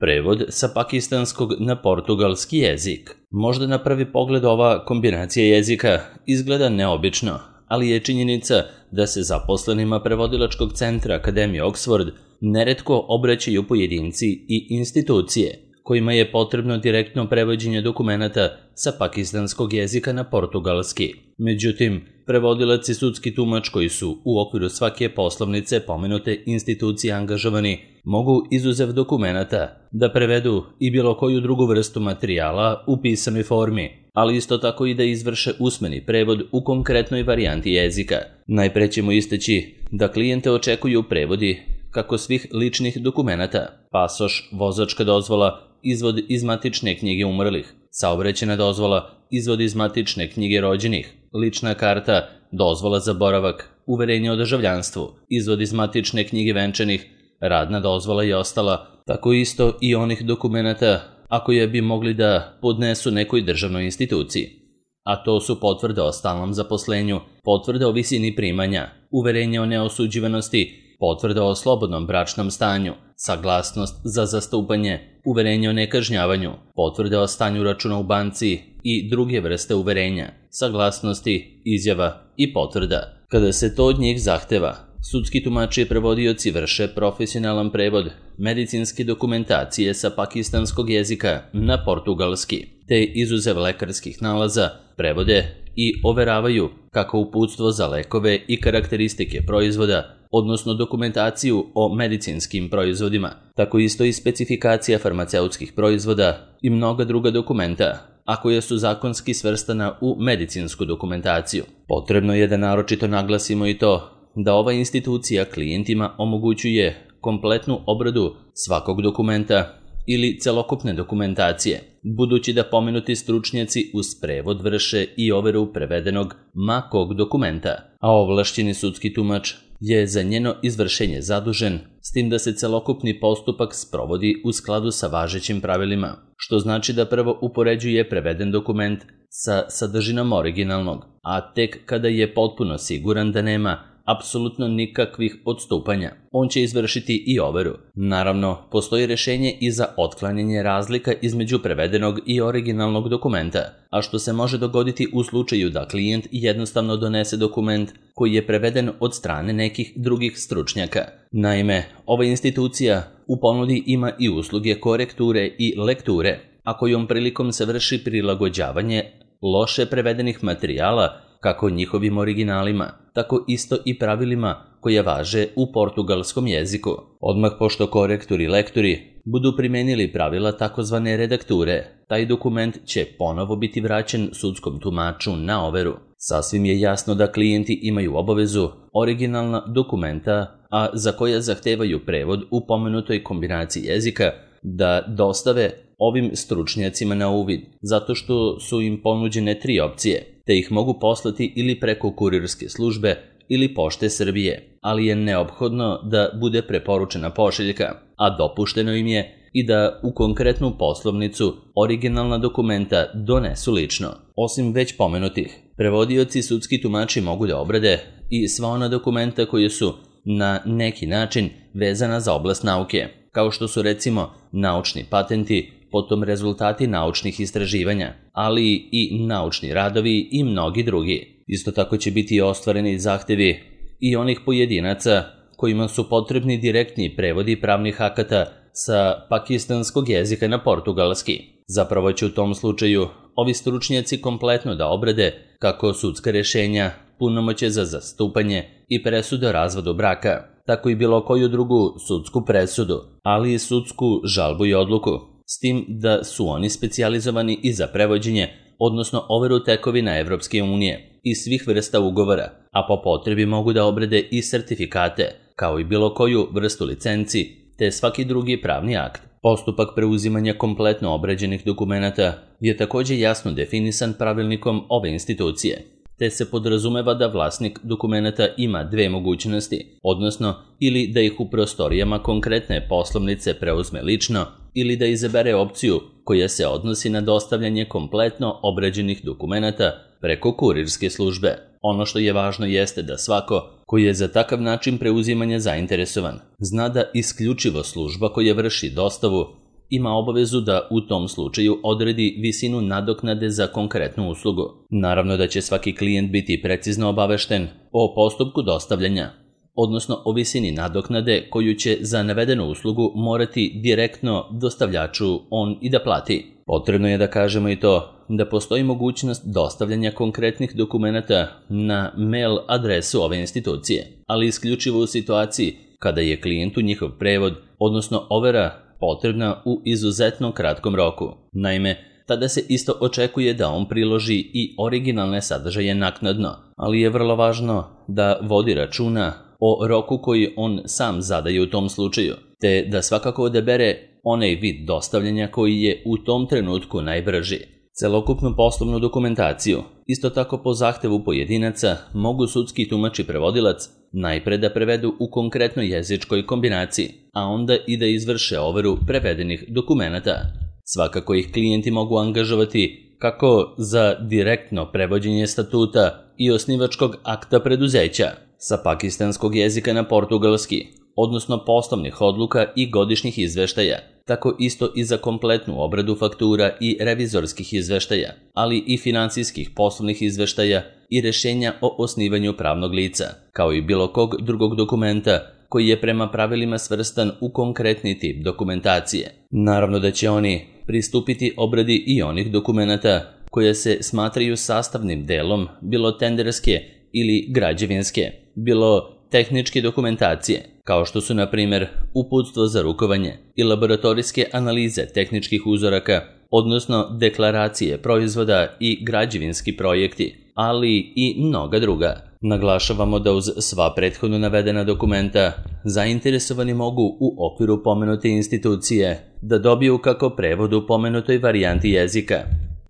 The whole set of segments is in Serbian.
Prevod sa pakistanskog na portugalski jezik. Možda na prvi pogled ova kombinacija jezika izgleda neobično, ali je činjenica da se zaposlenima prevodilačkog centra Akademije Oxford neretko obraćaju pojedinci i institucije kojima je potrebno direktno prevođenje dokumenata sa pakistanskog jezika na portugalski. Međutim, prevodilac i sudski tumač koji su u okviru svake poslovnice pomenute institucije angažovani mogu izuzev dokumenata da prevedu i bilo koju drugu vrstu materijala u pisanoj formi, ali isto tako i da izvrše usmeni prevod u konkretnoj varijanti jezika. Najpre ćemo istaći da klijente očekuju prevodi kako svih ličnih dokumenata, pasoš, vozačka dozvola, izvod iz matične knjige umrlih, saobraćajna dozvola, izvod iz matične knjige rođenih, lična karta, dozvola za boravak, uverenje o državljanstvu, izvod iz matične knjige venčanih, radna dozvola i ostala, tako isto i onih dokumenata ako je bi mogli da podnesu nekoj državnoj instituciji. A to su potvrde o stalnom zaposlenju, potvrde o visini primanja, uverenje o neosuđivanosti, potvrda o slobodnom bračnom stanju, saglasnost za zastupanje, uverenje o nekažnjavanju, potvrde o stanju računa u banci i druge vrste uverenja, saglasnosti, izjava i potvrda. Kada se to od njih zahteva, sudski tumači i prevodioci vrše profesionalan prevod medicinske dokumentacije sa pakistanskog jezika na portugalski, te izuzev lekarskih nalaza prevode i overavaju kako uputstvo za lekove i karakteristike proizvoda, odnosno dokumentaciju o medicinskim proizvodima, tako isto i specifikacija farmaceutskih proizvoda i mnoga druga dokumenta, a koja su zakonski svrstana u medicinsku dokumentaciju. Potrebno je da naročito naglasimo i to da ova institucija klijentima omogućuje kompletnu obradu svakog dokumenta ili celokupne dokumentacije, budući da pomenuti stručnjaci uz prevod vrše i overu prevedenog ma kog dokumenta, a ovlašćeni sudski tumač je za njeno izvršenje zadužen, s tim da se celokupni postupak sprovodi u skladu sa važećim pravilima, što znači da prvo upoređuje preveden dokument sa sadržinom originalnog, a tek kada je potpuno siguran da nema apsolutno nikakvih odstupanja, on će izvršiti i overu. Naravno, postoji rešenje i za otklanjanje razlika između prevedenog i originalnog dokumenta, a što se može dogoditi u slučaju da klijent jednostavno donese dokument koji je preveden od strane nekih drugih stručnjaka. Naime, ova institucija u ponudi ima i usluge korekture i lekture, a kojom prilikom se vrši prilagođavanje loše prevedenih materijala kako njihovim originalima, tako isto i pravilima koja važe u portugalskom jeziku. Odmah pošto korektori i lektori budu primenili pravila takozvane redakture, taj dokument će ponovo biti vraćen sudskom tumaču na overu. Sasvim je jasno da klijenti imaju obavezu originalna dokumenta, a za koja zahtevaju prevod u pomenutoj kombinaciji jezika, da dostave ovim stručnjacima na uvid, zato što su im ponuđene 3 opcije, te ih mogu poslati ili preko kurirske službe ili Pošte Srbije, ali je neophodno da bude preporučena pošiljka, a dopušteno im je i da u konkretnu poslovnicu originalna dokumenta donesu lično. Osim već pomenutih, prevodioci i sudski tumači mogu da obrade i sva ona dokumenta koji su na neki način vezana za oblast nauke, kao što su recimo naučni patenti, potom rezultati naučnih istraživanja, ali i naučni radovi i mnogi drugi. Isto tako će biti ostvareni zahtevi i onih pojedinaca kojima su potrebni direktni prevodi pravnih akata sa pakistanskog jezika na portugalski. Zapravo će u tom slučaju ovi stručnjaci kompletno da obrade kako sudska rešenja, punomoćje za zastupanje i presudu o razvodu braka, tako i bilo koju drugu sudsku presudu, ali i sudsku žalbu i odluku, s tim da su oni specijalizovani i za prevođenje, odnosno overu tekovina Evropske unije i svih vrsta ugovora, a po potrebi mogu da obrade i sertifikate, kao i bilo koju vrstu licenci, te svaki drugi pravni akt. Postupak preuzimanja kompletno obrađenih dokumenata je također jasno definisan pravilnikom ove institucije, te se podrazumeva da vlasnik dokumenata ima 2 mogućnosti, odnosno ili da ih u prostorijama konkretne poslovnice preuzme lično, ili da izabere opciju koja se odnosi na dostavljanje kompletno obrađenih dokumenata preko kurirske službe. Ono što je važno jeste da svako koji je za takav način preuzimanja zainteresovan zna da isključivo služba koja vrši dostavu ima obavezu da u tom slučaju odredi visinu nadoknade za konkretnu uslugu. Naravno da će svaki klijent biti precizno obavešten o postupku dostavljanja, odnosno o visini nadoknade koju će za navedenu uslugu morati direktno dostavljaču on i da plati. Potrebno je da kažemo i to da postoji mogućnost dostavljanja konkretnih dokumenata na mail adresu ove institucije, ali isključivo u situaciji kada je klijentu njihov prevod, odnosno overa, potrebna u izuzetno kratkom roku. Naime, tada se isto očekuje da on priloži i originalne sadržaje naknadno, ali je vrlo važno da vodi računa o roku koji on sam zadaje u tom slučaju, te da svakako odabere onaj vid dostavljanja koji je u tom trenutku najbrži. Celokupnu poslovnu dokumentaciju, isto tako po zahtevu pojedinaca, mogu sudski tumač i prevodilac najpre da prevedu u konkretnoj jezičkoj kombinaciji, a onda i da izvrše overu prevedenih dokumenata. Svakako ih klijenti mogu angažovati kako za direktno prevođenje statuta i osnivačkog akta preduzeća sa pakistanskog jezika na portugalski, odnosno poslovnih odluka i godišnjih izveštaja, tako isto i za kompletnu obradu faktura i revizorskih izveštaja, ali i finansijskih poslovnih izveštaja i rešenja o osnivanju pravnog lica, kao i bilo kog drugog dokumenta koji je prema pravilima svrstan u konkretni tip dokumentacije. Naravno da će oni pristupiti obradi i onih dokumenata koje se smatraju sastavnim delom bilo tenderske ili građevinske, bilo tehničke dokumentacije, kao što su na primjer uputstvo za rukovanje i laboratorijske analize tehničkih uzoraka, odnosno deklaracije proizvoda i građevinski projekti, ali i mnoga druga. Naglašavamo da uz sva prethodno navedena dokumenta zainteresovani mogu u okviru pomenute institucije da dobiju kako prevod u pomenutoj varijanti jezika,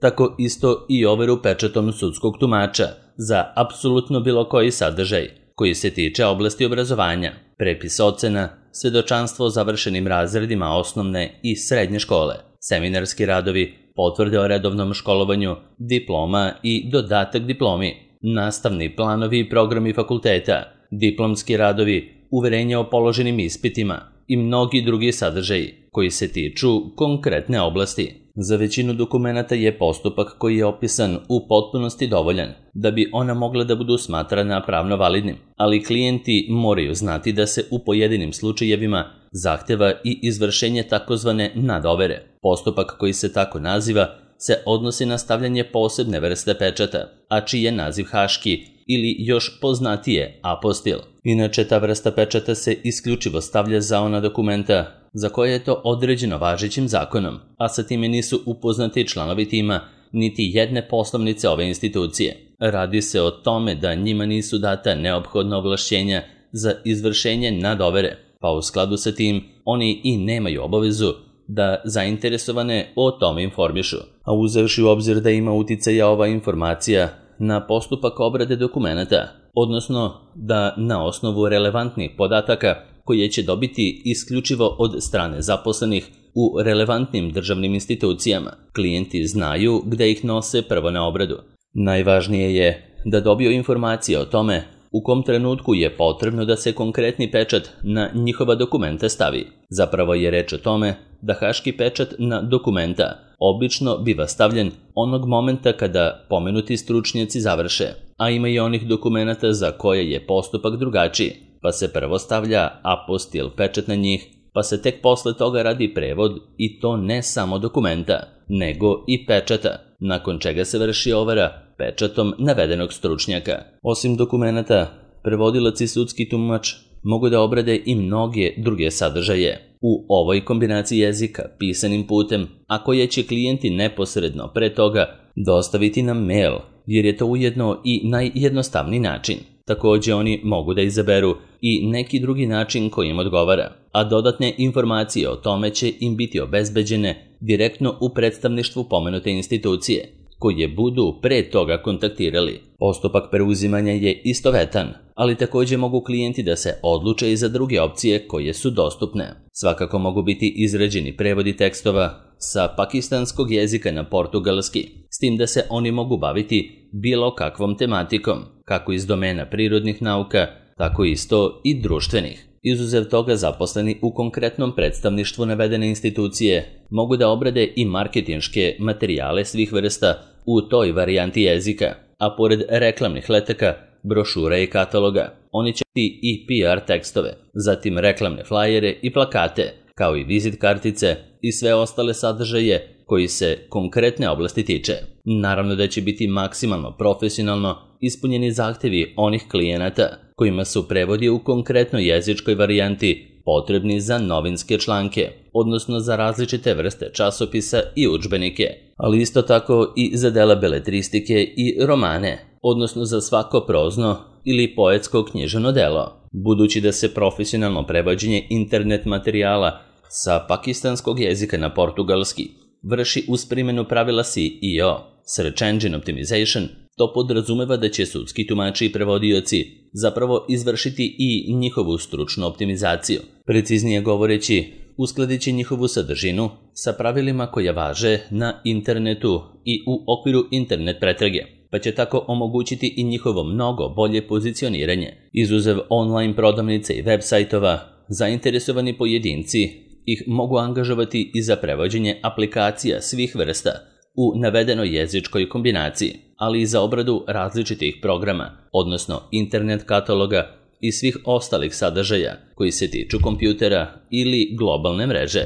tako isto i overu pečatom sudskog tumača za apsolutno bilo koji sadržaj koji se tiče oblasti obrazovanja, prepis ocena, svedočanstvo o završenim razredima osnovne i srednje škole, seminarski radovi, potvrde o redovnom školovanju, diploma i dodatak diplomi, nastavni planovi i programi fakulteta, diplomski radovi, uverenja o položenim ispitima i mnogi drugi sadržaji koji se tiču konkretne oblasti. Za većinu dokumenata je postupak koji je opisan u potpunosti dovoljan da bi ona mogla da budu smatrana pravno validnim, ali klijenti moraju znati da se u pojedinim slučajevima zahteva i izvršenje takozvane nadovere. Postupak koji se tako naziva se odnosi na stavljanje posebne vrste pečata, a čiji je naziv haški ili još poznatije apostil. Inače, ta vrsta pečata se isključivo stavlja za ona dokumenta za koje je to određeno važećim zakonom, a sa time nisu upoznati članovi tima niti jedne poslovnice ove institucije. Radi se o tome da njima nisu data neophodna ovlašćenja za izvršenje nadovere, pa u skladu sa tim oni i nemaju obavezu da zainteresovane o tome informišu. A uzevši u obzir da ima uticaja ova informacija na postupak obrade dokumenata, odnosno da na osnovu relevantnih podataka koje će dobiti isključivo od strane zaposlenih u relevantnim državnim institucijama, klijenti znaju gde ih nose prvo na obradu. Najvažnije je da dobiju informacije o tome u kom trenutku je potrebno da se konkretni pečat na njihova dokumenta stavi. Zapravo je reč o tome da haški pečat na dokumenta obično biva stavljen onog momenta kada pomenuti stručnjaci završe, a ima i onih dokumenata za koje je postupak drugačiji, pa se prvo stavlja apostil pečat na njih, pa se tek posle toga radi prevod i to ne samo dokumenta, nego i pečata, nakon čega se vrši overa pečatom navedenog stručnjaka. Osim dokumenata, prevodilac i sudski tumač mogu da obrade i mnoge druge sadržaje u ovoj kombinaciji jezika pisanim putem, a koje će klijenti neposredno pre toga dostaviti na mail, jer je to ujedno i najjednostavniji način. Takođe oni mogu da izaberu i neki drugi način koji im odgovara, a dodatne informacije o tome će im biti obezbeđene direktno u predstavništvu pomenute institucije, koje budu pre toga kontaktirali. Postupak preuzimanja je istovetan, ali takođe mogu klijenti da se odluče i za druge opcije koje su dostupne. Svakako mogu biti izrađeni prevodi tekstova sa pakistanskog jezika na portugalski, s tim da se oni mogu baviti bilo kakvom tematikom, kako iz domena prirodnih nauka, tako isto i društvenih. Izuzev toga, zaposleni u konkretnom predstavništvu navedene institucije mogu da obrade i marketinške materijale svih vrsta u toj varijanti jezika, a pored reklamnih letaka, brošura i kataloga, oni će i PR tekstove, zatim reklamne flajere i plakate, kao i vizit kartice i sve ostale sadržaje koji se konkretne oblasti tiče. Naravno da će biti maksimalno profesionalno ispunjeni zahtevi onih klijenata kojima su prevodi u konkretnoj jezičkoj varijanti potrebni za novinske članke, odnosno za različite vrste časopisa i udžbenike, ali isto tako i za dela beletristike i romane, odnosno za svako prozno ili poetsko književno delo. Budući da se profesionalno prevođenje internet materijala sa pakistanskog jezika na portugalski vrši uz primjenu pravila SEO, Search Engine Optimization, to podrazumeva da će sudski tumači i prevodioci zapravo izvršiti i njihovu stručnu optimizaciju. Preciznije govoreći, uskladit će njihovu sadržinu sa pravilima koja važe na internetu i u okviru internet pretrage, pa će tako omogućiti i njihovo mnogo bolje pozicioniranje. Izuzev online prodavnice i web sajtova, zainteresovani pojedinci ih mogu angažovati i za prevođenje aplikacija svih vrsta u navedenoj jezičkoj kombinaciji, ali i za obradu različitih programa, odnosno internet kataloga i svih ostalih sadržaja koji se tiču kompjutera ili globalne mreže.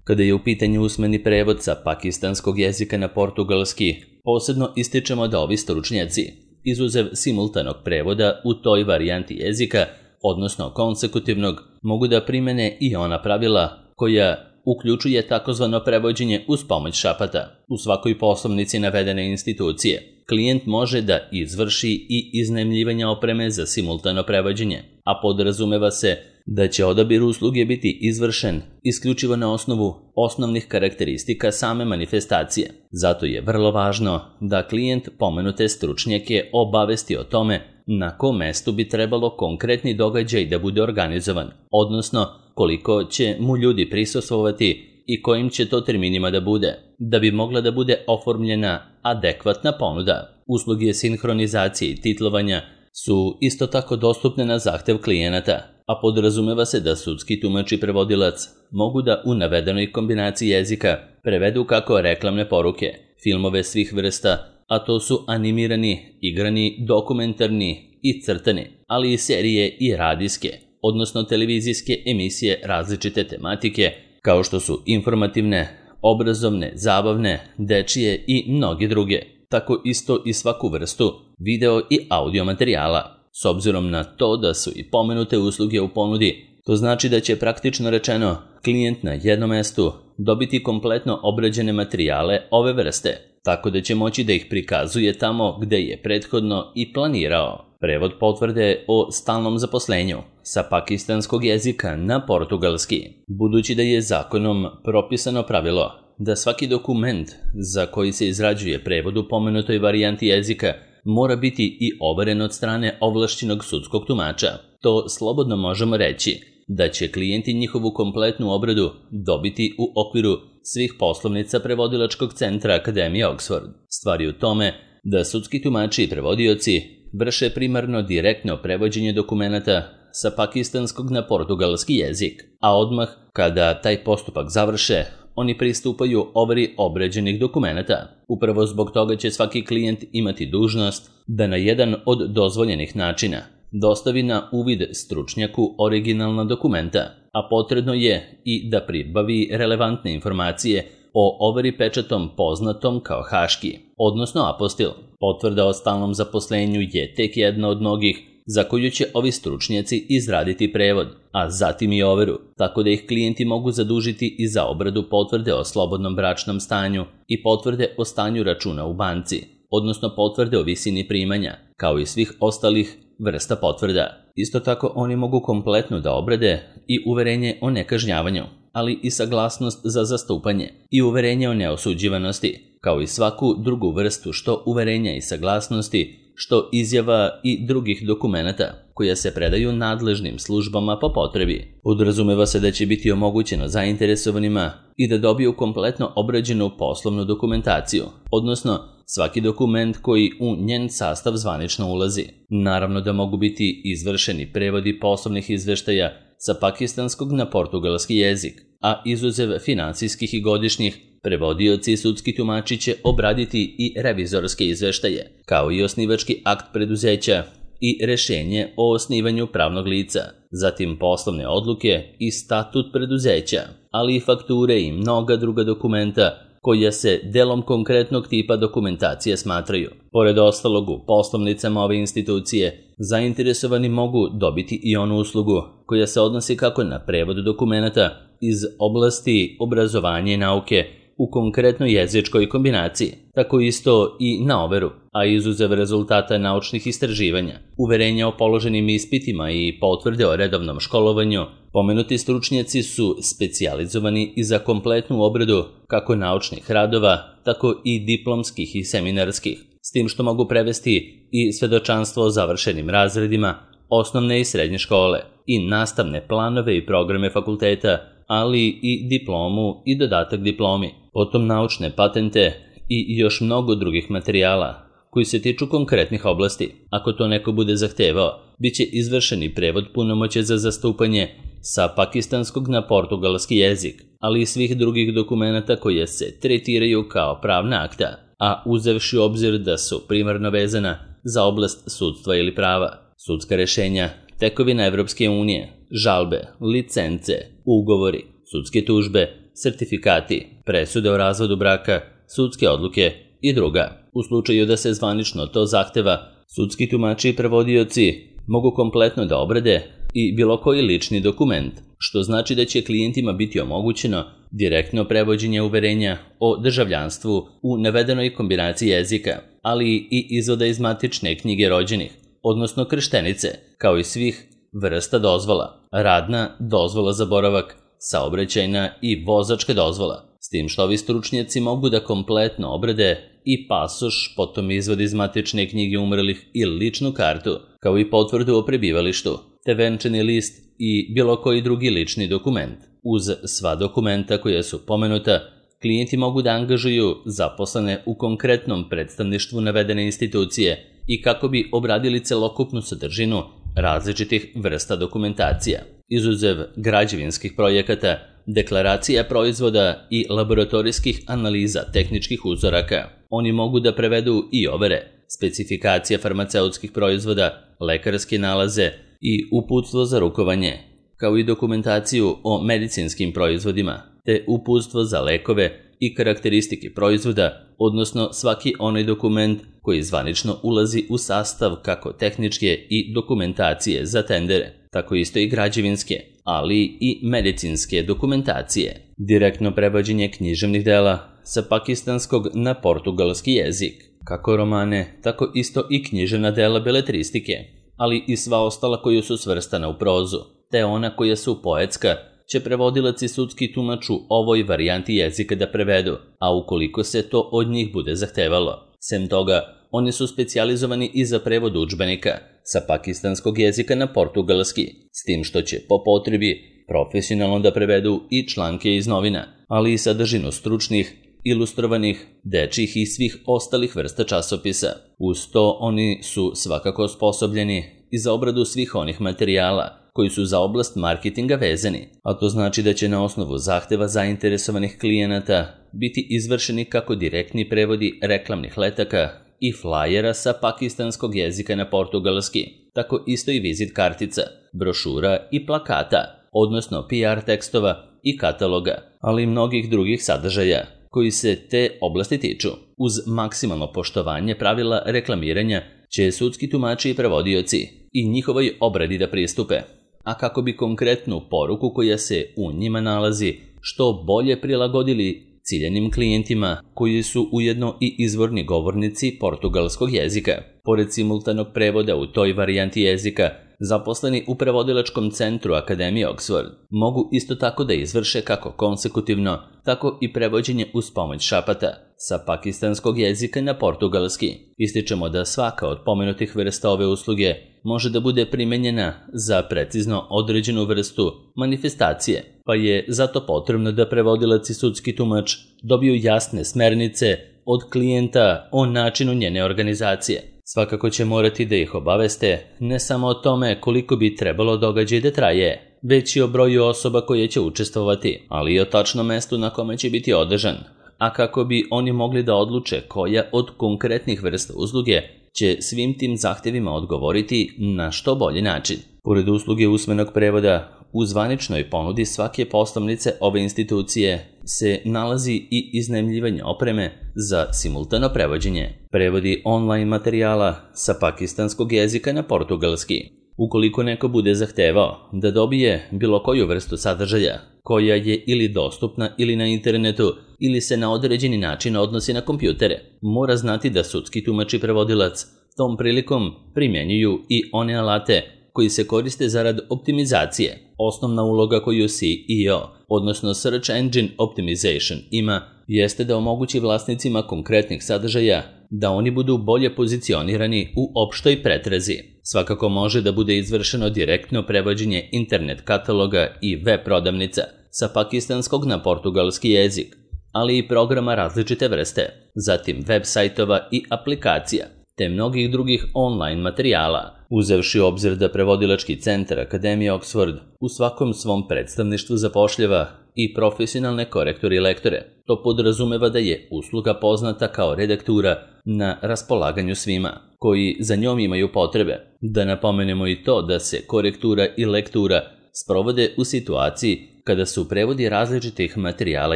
Kada je u pitanju usmeni prevod sa pakistanskog jezika na portugalski, posebno ističemo da ovi stručnjaci, izuzev simultanog prevoda u toj varijanti jezika, odnosno konsekutivnog, mogu da primene i ona pravila koja uključuje takozvano prevođenje uz pomoć šapata. U svakoj poslovnici navedene institucije, klijent može da izvrši i iznajmljivanje opreme za simultano prevođenje, a podrazumeva se da će odabir usluge biti izvršen isključivo na osnovu osnovnih karakteristika same manifestacije. Zato je vrlo važno da klijent pomenute stručnjake obavesti o tome na kom mestu bi trebalo konkretni događaj da bude organizovan, odnosno koliko će mu ljudi prisustvovati i kojim će to terminima da bude, da bi mogla da bude oformljena adekvatna ponuda. Usluge sinhronizacije i titlovanja su isto tako dostupne na zahtev klijenata, a podrazumeva se da sudski tumač i prevodilac mogu da u navedenoj kombinaciji jezika prevedu kako reklamne poruke, filmove svih vrsta, a to su animirani, igrani, dokumentarni i crtani, ali i serije i radijske, odnosno televizijske emisije različite tematike, kao što su informativne, obrazovne, zabavne, dečije i mnoge druge, tako isto i svaku vrstu video i audio materijala. S obzirom na to da su i pomenute usluge u ponudi, to znači da će praktično rečeno klijent na jednom mestu dobiti kompletno obrađene materijale ove vrste, tako da će moći da ih prikazuje tamo gde je prethodno i planirao. Prevod potvrde o stalnom zaposlenju sa pakistanskog jezika na portugalski. Budući da je zakonom propisano pravilo da svaki dokument za koji se izrađuje prevod u pomenutoj varijanti jezika mora biti i overen od strane ovlašćenog sudskog tumača, to slobodno možemo reći da će klijenti njihovu kompletnu obradu dobiti u okviru svih poslovnica prevodilačkog centra Akademije Oxford. Stvar je u tome da sudski tumači i prevodioci vrše primarno direktno prevođenje dokumenata sa pakistanskog na portugalski jezik, a odmah kada taj postupak završe, oni pristupaju overi obrađenih dokumenata. Upravo zbog toga će svaki klijent imati dužnost da na jedan od dozvoljenih načina dostavi na uvid stručnjaku originalna dokumenta, a potrebno je i da pribavi relevantne informacije o overi pečatom poznatom kao haški, odnosno apostil. Potvrda o stalnom zaposlenju je tek jedna od mnogih za koju će ovi stručnjaci izraditi prevod, a zatim i overu, tako da ih klijenti mogu zadužiti i za obradu potvrde o slobodnom bračnom stanju i potvrde o stanju računa u banci, odnosno potvrde o visini primanja, kao i svih ostalih vrsta potvrda. Isto tako oni mogu kompletno da obrade i uverenje o nekažnjavanju, ali i saglasnost za zastupanje i uverenje o neosuđivanosti, kao i svaku drugu vrstu što uverenja i saglasnosti, što izjava i drugih dokumenata koja se predaju nadležnim službama po potrebi. Podrazumeva se da će biti omogućeno zainteresovanima i da dobiju kompletno obrađenu poslovnu dokumentaciju, odnosno svaki dokument koji u njen sastav zvanično ulazi. Naravno da mogu biti izvršeni prevodi poslovnih izveštaja sa pakistanskog na portugalski jezik, a izuzev finansijskih i godišnjih, prevodioci i sudski tumači će obraditi i revizorske izveštaje, kao i osnivački akt preduzeća i rešenje o osnivanju pravnog lica, zatim poslovne odluke i statut preduzeća, ali i fakture i mnoga druga dokumenta koja se delom konkretnog tipa dokumentacije smatraju. Pored ostalog, u poslovnicama ove institucije zainteresovani mogu dobiti i onu uslugu koja se odnosi kako na prevod dokumenta iz oblasti obrazovanja i nauke u konkretnoj jezičkoj kombinaciji, tako isto i na overu, a izuzev rezultata naučnih istraživanja, uverenja o položenim ispitima i potvrde o redovnom školovanju, pomenuti stručnjaci su specijalizovani i za kompletnu obradu kako naučnih radova, tako i diplomskih i seminarskih, s tim što mogu prevesti i svedočanstvo o završenim razredima, osnovne i srednje škole, i nastavne planove i programe fakulteta, ali i diplomu i dodatak diplomi, potom naučne patente i još mnogo drugih materijala koji se tiču konkretnih oblasti. Ako to neko bude zahtevao, bit će izvršen i prevod punomoće za zastupanje sa pakistanskog na portugalski jezik, ali i svih drugih dokumenta koje se tretiraju kao pravna akta, a uzevši u obzir da su primarno vezana za oblast sudstva ili prava, sudska rešenja, tekovina Evropske unije, žalbe, licence, ugovori, sudske tužbe, sertifikati, presude o razvodu braka, sudske odluke i druga. U slučaju da se zvanično to zahteva, sudski tumači i prevodioci mogu kompletno da obrade i bilo koji lični dokument, što znači da će klijentima biti omogućeno direktno prevođenje uverenja o državljanstvu u navedenoj kombinaciji jezika, ali i izvoda iz matične knjige rođenih, odnosno krštenice, kao i svih vrsta dozvola, radna, dozvola za boravak, saobraćajna i vozačka dozvola, s tim što ovi stručnjaci mogu da kompletno obrade i pasoš, potom izvod iz matične knjige umrlih i ličnu kartu, kao i potvrdu o prebivalištu, te venčani list i bilo koji drugi lični dokument. Uz sva dokumenta koja su pomenuta, klijenti mogu da angažuju zaposlene u konkretnom predstavništvu navedene institucije i kako bi obradili celokupnu sadržinu različitih vrsta dokumentacija. Izuzev građevinskih projekata, deklaracija proizvoda i laboratorijskih analiza tehničkih uzoraka, oni mogu da prevedu i overe, specifikacija farmaceutskih proizvoda, lekarske nalaze i uputstvo za rukovanje, kao i dokumentaciju o medicinskim proizvodima, te uputstvo za lekove i karakteristike proizvoda, odnosno svaki onaj dokument koji zvanično ulazi u sastav kako tehničke i dokumentacije za tendere, tako isto i građevinske, ali i medicinske dokumentacije. Direktno prevođenje književnih dela sa pakistanskog na portugalski jezik, kako romane, tako isto i književna dela beletristike, ali i sva ostala koja su svrstana u prozu, te ona koja su poetska, će prevodilac i sudski tumač u ovoj varijanti jezika da prevedu, a ukoliko se to od njih bude zahtevalo. Sem toga, oni su specijalizovani i za prevod udžbenika sa pakistanskog jezika na portugalski, s tim što će po potrebi profesionalno da prevedu i članke iz novina, ali i sadržinu stručnih, ilustrovanih, dečjih i svih ostalih vrsta časopisa. Uz to oni su svakako osposobljeni i za obradu svih onih materijala koji su za oblast marketinga vezani, a to znači da će na osnovu zahteva zainteresovanih klijenata biti izvršeni kako direktni prevodi reklamnih letaka i flajera sa pakistanskog jezika na portugalski, tako isto i vizit kartica, brošura i plakata, odnosno PR tekstova i kataloga, ali i mnogih drugih sadržaja koji se te oblasti tiču. Uz maksimalno poštovanje pravila reklamiranja će sudski tumači i prevodioci i njihovoj obradi da pristupe, a kako bi konkretnu poruku koja se u njima nalazi što bolje prilagodili ciljanim klijentima koji su ujedno i izvorni govornici portugalskog jezika. Pored simultanog prevoda u toj varijanti jezika, zaposleni u prevodilačkom centru Akademije Oxford mogu isto tako da izvrše kako konsekutivno, tako i prevođenje uz pomoć šapata sa pakistanskog jezika na portugalski. Ističemo da svaka od pomenutih vrsta ove usluge može da bude primenjena za precizno određenu vrstu manifestacije, pa je zato potrebno da prevodilac i sudski tumač dobiju jasne smernice od klijenta o načinu njene organizacije. Svakako će morati da ih obaveste ne samo o tome koliko bi trebalo događaj da traje, već i o broju osoba koje će učestvovati, ali i o tačnom mestu na kome će biti održan, a kako bi oni mogli da odluče koja od konkretnih vrsta usluge će svim tim zahtevima odgovoriti na što bolji način. Pored usluge usmenog prevoda, u zvaničnoj ponudi svake poslovnice ove institucije se nalazi i iznajmljivanje opreme za simultano prevođenje, prevodi online materijala sa pakistanskog jezika na portugalski. Ukoliko neko bude zahtevao da dobije bilo koju vrstu sadržaja koja je ili dostupna ili na internetu ili se na određeni način odnosi na kompjutere, mora znati da sudski tumač i prevodilac tom prilikom primjenjuju i one alate koji se koriste zarad optimizacije. Osnovna uloga koju SEO, odnosno Search Engine Optimization, ima jeste da omogući vlasnicima konkretnih sadržaja da oni budu bolje pozicionirani u opštoj pretrazi. Svakako može da bude izvršeno direktno prevođenje internet kataloga i web prodavnica sa pakistanskog na portugalski jezik, ali i programa različite vrste, zatim web sajtova i aplikacija, te mnogih drugih online materijala, uzevši u obzir da prevodilački centar Akademije Oxford u svakom svom predstavništvu zapošljava i profesionalne korektore i lektore. To podrazumeva da je usluga poznata kao redaktura na raspolaganju svima, koji za njom imaju potrebe. Da napomenemo i to da se korektura i lektura sprovode u situaciji kada su prevodi različitih materijala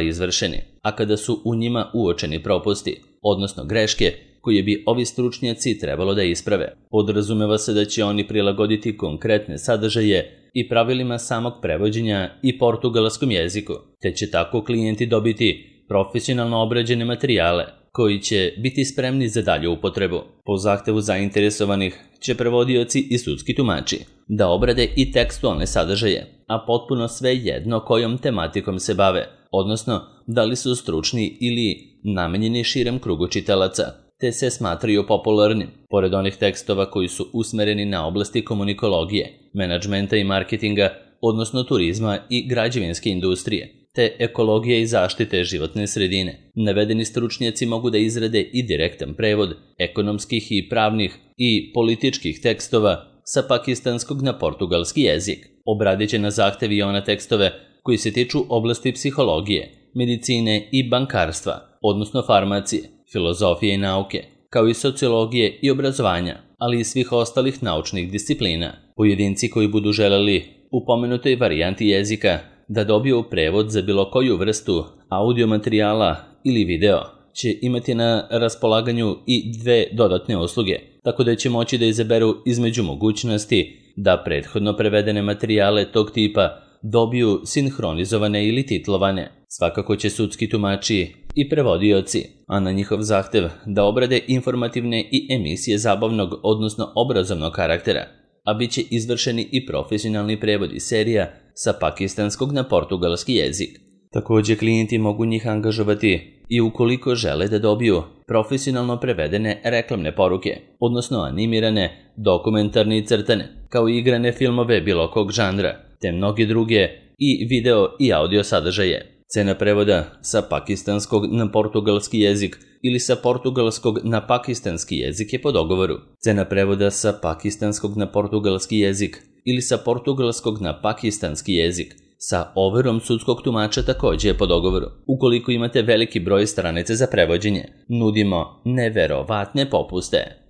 izvršeni, a kada su u njima uočeni propusti, odnosno greške, koje bi ovi stručnjaci trebalo da isprave. Podrazumeva se da će oni prilagoditi konkretne sadržaje i pravilima samog prevođenja i portugalskom jeziku, te će tako klijenti dobiti profesionalno obrađene materijale koji će biti spremni za dalju upotrebu. Po zahtevu zainteresovanih će prevodioci i sudski tumači da obrade i tekstualne sadržaje, a potpuno sve jedno kojom tematikom se bave, odnosno da li su stručni ili namenjeni širem krugu čitalaca, te se smatraju popularnim. Pored onih tekstova koji su usmereni na oblasti komunikologije, menadžmenta i marketinga, odnosno turizma i građevinske industrije, te ekologije i zaštite životne sredine, navedeni stručnjaci mogu da izrade i direktan prevod ekonomskih i pravnih i političkih tekstova sa pakistanskog na portugalski jezik. Obradit će na zahtev i ona tekstove koji se tiču oblasti psihologije, medicine i bankarstva, odnosno farmacije, filozofije i nauke, kao i sociologije i obrazovanja, ali i svih ostalih naučnih disciplina. Pojedinci koji budu želeli u pomenutoj varijanti jezika da dobiju prevod za bilo koju vrstu audio materijala ili video će imati na raspolaganju i dve dodatne usluge, tako da će moći da izaberu između mogućnosti da prethodno prevedene materijale tog tipa dobiju sinhronizovane ili titlovane. Svakako će sudski tumači i prevodioci, a na njihov zahtev da obrade informativne i emisije zabavnog, odnosno obrazovnog karaktera, a bit će izvršeni i profesionalni prevodi serija sa pakistanskog na portugalski jezik. Također klijenti mogu njih angažovati i ukoliko žele da dobiju profesionalno prevedene reklamne poruke, odnosno animirane, dokumentarne i crtane, kao i igrane filmove bilo kog žanra, te mnoge druge i video i audio sadržaje. Cena prevoda sa pakistanskog na portugalski jezik ili sa portugalskog na pakistanski jezik je po dogovoru. Cena prevoda sa pakistanskog na portugalski jezik ili sa portugalskog na pakistanski jezik sa overom sudskog tumača također je po dogovoru. Ukoliko imate veliki broj stranica za prevođenje, nudimo neverovatne popuste.